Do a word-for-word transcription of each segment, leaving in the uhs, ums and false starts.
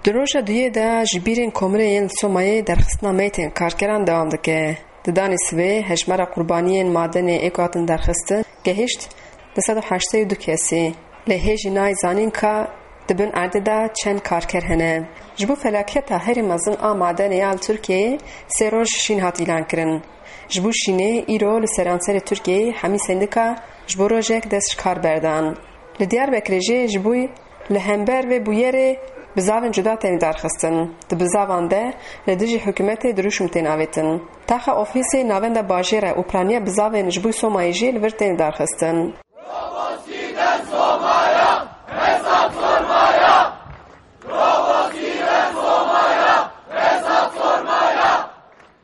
Di roja duyê de ji bîrên komirê yên li Somayê derxistina meytên karkeran dewam dike. Di danê sibê hejmara qurbaniyên madenê ê ku hatin derxistin gehişt du sed û heştê û du kesî. Lê hê jî nayê zanîn ka di bin erdê de çend karker hene. Ji bo felaketa herî mezin a madenê ya li Tirkiyeyê sê roj şîn hat îlan kirin. Ji bo şînê îro li seranserê Tirkiyeyê hemî sendîka ji bo rojek dest ji kar berdan. Li Diyarbekirê jî ji bo Li hember vê bûyerê bizavên cuda tên darxistin. Di bizavan de li dijî hikûmetê dirûşm tên avêtin. Taxa ofîsê navenda bajêr e û piraniya bizavên ji bo Somayê jî li vir tên darxistin.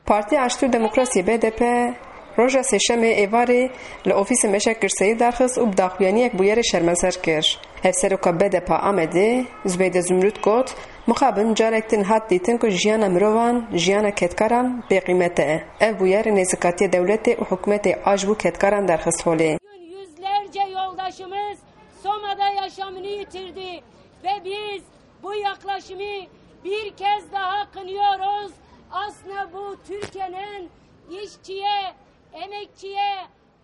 Partî Aştî û Demokrasiyê B D P roja Sêşemê êvarê li ofîsê Meşa Girseyî derxist û bi daxuyaniyek bûyerê şermezar kir. Hevseroka B D P a Amedê Zubeyde Zumrut got, mixabin carek din hat dîtin ku jiyana mirovan, jiyana kedkaran bêqîmet e. Ev bûyer nêzikatiya dewletê û hikûmetê a ji bo kedkaran derxist holê. Yüzlerce yoldaşımız Soma'da yaşamını yitirdi ve biz bu yaklaşımı bir kez daha kınıyoruz. Aslında bu Türkiye'nin işçiye, emekçiye,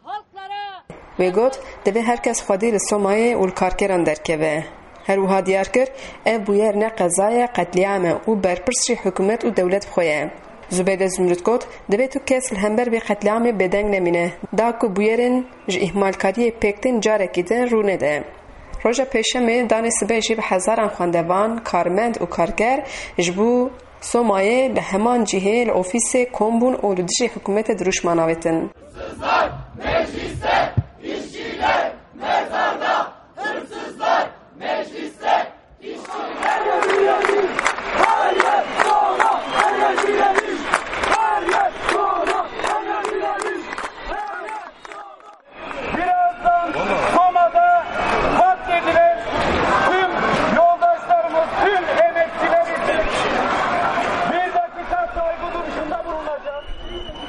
halklara Wê got, divê her kes xwedî li Somayê û li karkeran derkeve. Her wiha diyar kir, ev bûyer ne qeza ye, qetlîam e û berpirs jî hikûmet û dewlet bi xwe ye. Zubeyde Zumrut got, divê tu kes li hember vê qetlîamê bêdeng nemîne, da ku bûyerên ji îhmalkariyê pêk tên carekî din rû nede. Roja Pêşemê danê sibê jî bi hezaran xwendevan, karmend û karker ji bo Somayê li heman cihê li ofîsê kom bûn û li dijî hikûmetê dirûşman avêtin. Birazdan Soma'da katledilen tüm yoldaşlarımız, tüm emekçiler için bir dakika saygı duruşunda bulunacağız.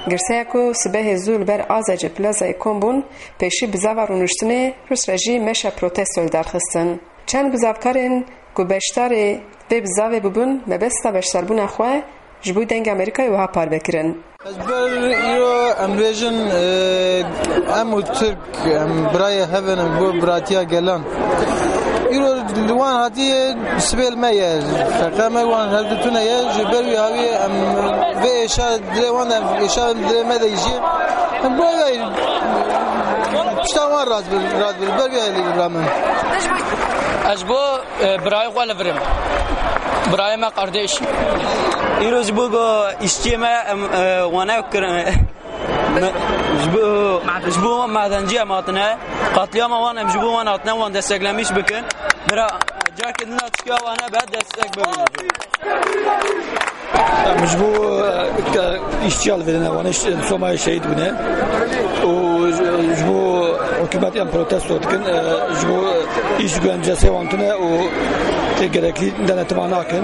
Girseya ku sibehê zû li ber Azecê Plazayê kom bûn, pêşî bizava rûniştinê, piştre jî meşa protestoyê derxistin. Çend bizavkarên ku beşdarê vê bizavê bûbûn, mebesta beşdarbûna xwe ji bo Dengê Amerîkayê wiha parve kirin. Ez ber îro em bêjin, e, em û Tirk, em birayê hev in, em bo biratiya gelan. Îro li wan hatiye sibê li me ye. Feqa me wan hevdu tune ye. Ji ber wî hawî em vê êşa dilê wan de, em êşa dilê me de jî. Em bo vê pişta wan rast bir, rast bir. Ber wî hevî ramin. Ez bo E, birayê xwe li vir im. Birayê me kardeş. Îro ji bo go îşçiyê me em, e, wane kirin. Me, ji bo, ji bo madencî em hatine. Qatliyama wan em ji bo wan hatine, wan desteklemiş bikin. Bira, careke din de çikiya wane be destek bibin. Em ji bo, e, ke îşçiya li vêrine wan, îş-, Somayê şehîd bûne û ji, ji bo hikûmet em protesto dikin, e, ji bo îş güvencesi wan tune û tê gerekli denetima nakin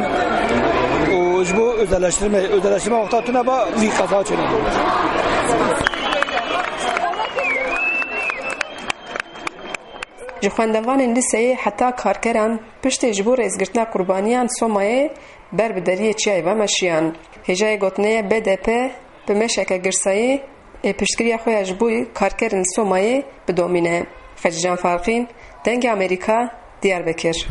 û ji bo özelleştirme, özelleştirme wexta tune ba vî qeza çêne. Ji xwendevanên lîseyê heta karkeran piştê ji bo rêzgirtina qurbaniyan Somayê ber bi deriyê çiyayê ve meşiyan. Hêjayê gotinê ye B D P bi meşeke girsayî ê piştgiriya xwe ya ji bo karkerên Somayê bidomîne. Xecîcan Farqîn, Dengê Amerîka, Diyarbekir.